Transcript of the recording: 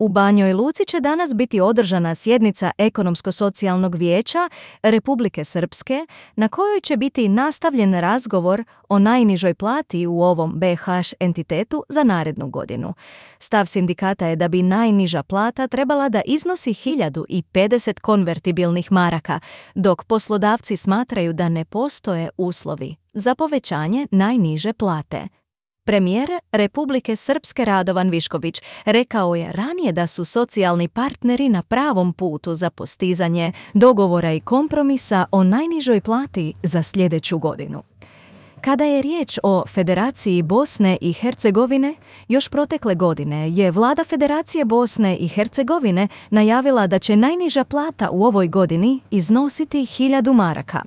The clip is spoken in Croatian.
U Banjoj Luci će danas biti održana sjednica Ekonomsko-socijalnog vijeća Republike Srpske, na kojoj će biti nastavljen razgovor o najnižoj plati u ovom BiH entitetu za narednu godinu. Stav sindikata je da bi najniža plata trebala da iznosi 1050 konvertibilnih maraka, dok poslodavci smatraju da ne postoje uslovi za povećanje najniže plate. Premijer Republike Srpske Radovan Višković rekao je ranije da su socijalni partneri na pravom putu za postizanje dogovora i kompromisa o najnižoj plati za sljedeću godinu. Kada je riječ o Federaciji Bosne i Hercegovine, još protekle godine je vlada Federacije Bosne i Hercegovine najavila da će najniža plata u ovoj godini iznositi 1000 maraka.